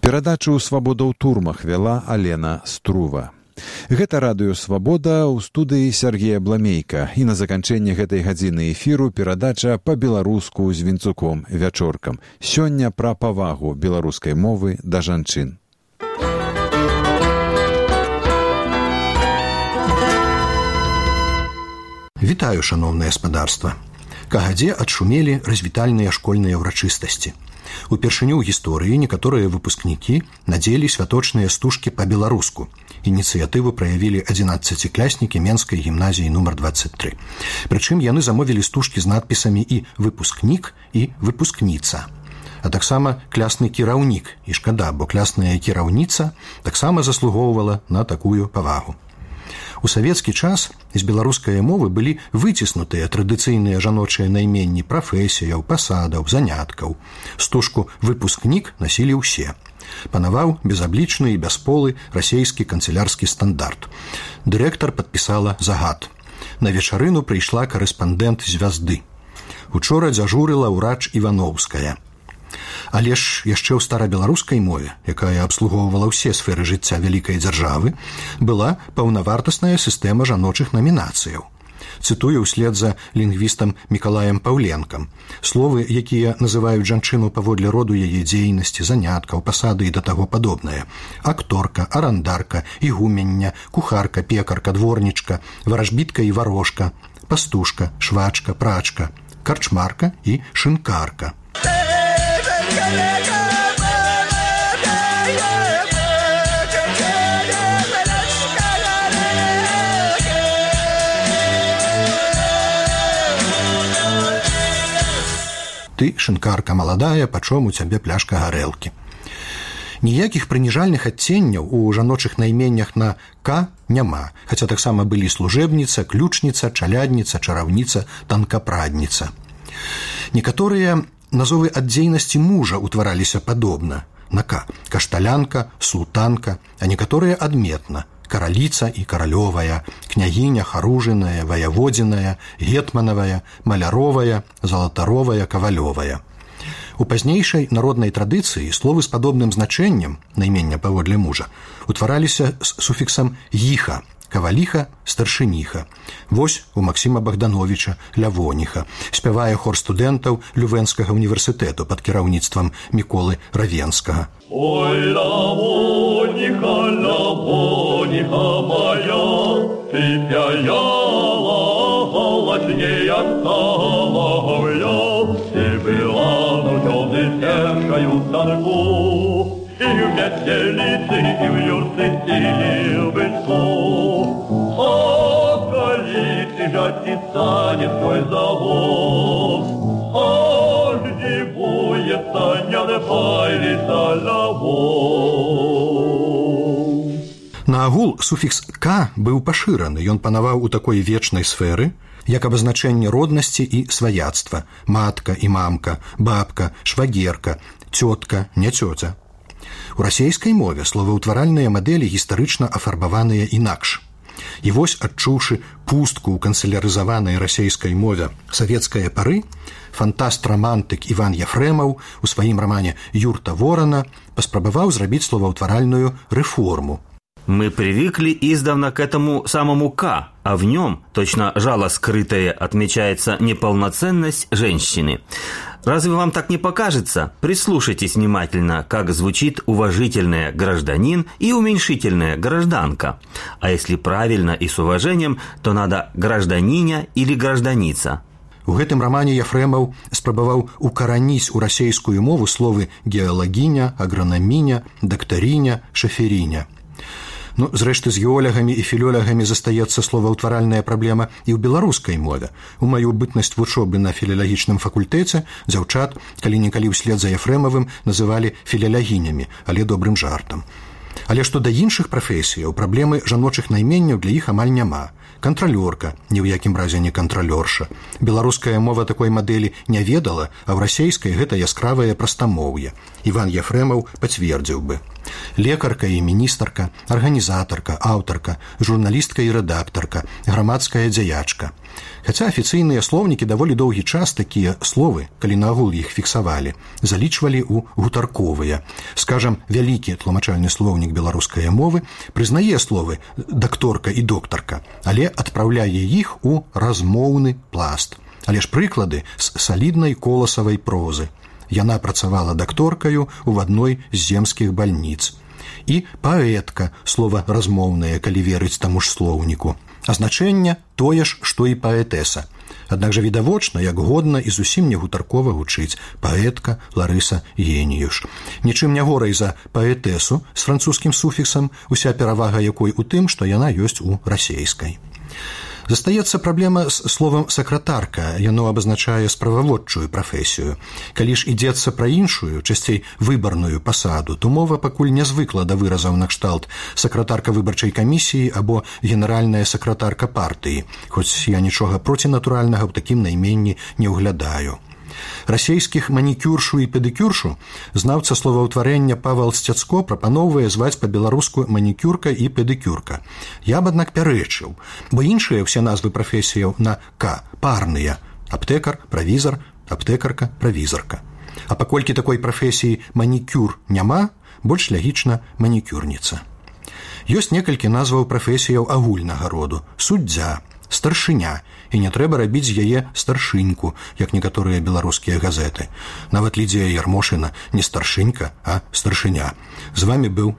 Перадачу «Свабода ў турмах» вяла Алена Струва. Гэта радыё «Свабода» ў студыі Сергея Бламейка. І на заканчэнне гэтай гадзіны эфіру перадача па-беларуску з Вінцуком вячоркам. Сёння пра павагу беларускай мовы да жанчын. Вітаю, шаноўнае спадарства. Кагадзе адшумелі развітальныя школьныя ўрачыстасці. Упершыню ў гісторыі некаторыя выпускнікі надзелі святочныя стужкі па-беларуску. Ініцыятыву праявілі 11-кляснікі Менскай гімназіі нумар 23. Прычым яны замовілі стужкі з надпісамі і «выпускнік» і «выпускніца». А таксама клясны кіраўнік. І шкада, бо клясная кіраўніца таксама заслугоўвала на такую павагу. У савецкі час з беларускай мовы былі выціснутыя традыцыйныя жаночыя найменні прафесіяў, пасадаў, заняткаў. Стужку «выпускнік» насілі ўсе. Панаваў безаблічны і бясполы расейскі канцелярскі стандарт. Дырэктар падпісала загад. На вечарыну прыйшла карэспандэнт «Звязды». Учора дзяжурыла ўрач Івановская. Але ж яшчэ ў старабеларускай мове, якая абслугоўвала ўсе сферы жыцця вялікай дзяржавы, была паўнавартасная сістэма жаночых намінацыяў. Цытую ўслед за лінгвістам Мікалаем Паўленкам. Словы, якія называюць жанчыну паводле роду яе дзейнасці, заняткаў, пасады і да таго падобнае. Акторка, арандарка, ігумення, кухарка, пекарка, дворнічка, варажбітка і варожка, пастушка, швачка, прачка, карчмарка і шынкарка. Ты, шынкарка маладая, пачом у цябе пляшка гарэлкі. Ніякіх прыніжальных адценняў у жаночых найменнях на «к» няма, хаця таксама былі служэбніца, ключніца, чалядніца, чараўніца, танкапрадніца. Некаторыя назовы ад дзейнасці мужа ўтвараліся падобна. На «к» – кашталянка, султанка, а некаторыя адметна – караліца і каралёвая, княгіня, харужыная, ваяводзіная, гетманавая, маляровая, залатаровая, кавалёвая. У пазнейшай народнай традыцыі словы з падобным значэннем, наймення паводле мужа, утвараліся з суфіксам «іха», каваліха, старшыніха. Вось у Максіма Богдановича Лявоніха. Спявае хор студэнтаў Лювенскага універсітэту пад кіраўніцтвам Міколы Равенскага. Ой, Лявоніха, Лявоніха моя, ты пяяла голодней от соловья, ты была нудёвной тяжкою станку, и в метелице, и в юрце, и в бычку. Станет твой завод, не боится, не напалится лавод. Наагул суфікс «к» быў пашыраны, ён панаваў у такой вечнай сферы, як абазначэнне роднасці і сваяцтва, матка і мамка, бабка, швагерка, цётка, не цёця. У расейскай мове словаўтваральныя мадэлі гістарычна афарбаваныя інакш. І вось, адчуўшы пустку ў канцелярызаванай расейскай мове савецкае пары, фантаст-рамантык Іван Яфрэмаў у сваім рамане «Юрта Ворона» паспрабаваў зрабіць словаўтваральную рэформу. Мы привыкли издавна к этому самому «к», а в нем, точно жало скрытое, отмечается неполноценность женщины. Разве вам так не покажется? Прислушайтесь внимательно, как звучит уважительное «гражданин» и уменьшительное «гражданка». А если правильно и с уважением, то надо «гражданиня» или «гражданица». У гэтым рамане Яфрэмаў спрабаваў укараніць у расейскую мову словы «геалагіня», «агранаміня», «дактаріня», «шаферіня». Ну, зрэшты, з геолягамі і філёлягамі застаецца словаўтваральная праблема і ў беларускай мове. У маю бытнасць вучобы на філалагічным факультэце дзяўчат калі-нікалі ўслед за Яфрэмавым называлі філалягінямі, але добрым жартам. Але што да іншых прафесіяў, праблемы жаночых найменняў для іх амаль няма. Кантралёрка, ні ў якім разе не кантралёрша. Беларуская мова такой мадэлі не ведала, а ў расейскай гэта яскравае прастамоўе. Іван Яфрэмаў пацвердзіў бы. Лекарка і міністарка, арганізатарка, аўтарка, журналістка і рэдактарка, грамадская дзеячка. Хаця афіцыйныя слоўнікі даволі доўгі час такія словы, калі наогул іх фіксавалі, залічвалі ў гутарковыя. Скажам, вялікі тлумачальны слоўнік беларускай мовы прызнае словы дакторка і доктарка, але адпраўляе іх у размоўны пласт. Але ж прыклады з саліднай коласавай прозы. Яна працавала дакторкаю ў адной з земскіх бальніц. І паэтка, слова размоўнае, калі верыць таму ж слоўніку. А значэнне тое ж, што і паэтэса. Аднак жа відавочна, як годна і зусім не гутаркова гучыць паэтка Ларыса Геніюш. Нічым не горай за паэтэсу з французскім суфіксам, уся перавага якой у тым, што яна ёсць у расейскай. Застаецца праблема з словам сакратарка, яно абазначае справаводчую прафесію. Калі ж ідзецца пра іншую, часцей выбарную пасаду, то мова пакуль не звыкла да выразаў накшталт сакратарка выбарчай камісіі або генеральная сакратарка партыі, хоць я нічога процінатуральнага ў такім найменні не ўглядаю. Расейскіх манікюршу і педыкюршу знаўца словаўтварэння Павел Сцяцко прапаноўвае зваць па-беларуску манікюрка і педыкюрка. Я б, аднак, пярэчыў, бо іншыя ўсе назвы прафесіяў на «к» парныя – аптэкар, правізар, аптэкарка, правізарка. А паколькі такой прафесіі манікюр няма, больш лягічна манікюрніца. Ёсць некалькі назваў прафесіяў агульнага роду – суддзя, старшыня, і не трэба рабіць з яе старшыньку, як некаторыя беларускія газеты. Нават Лідзія Ярмошына не старшынька, а старшыня. З вами быў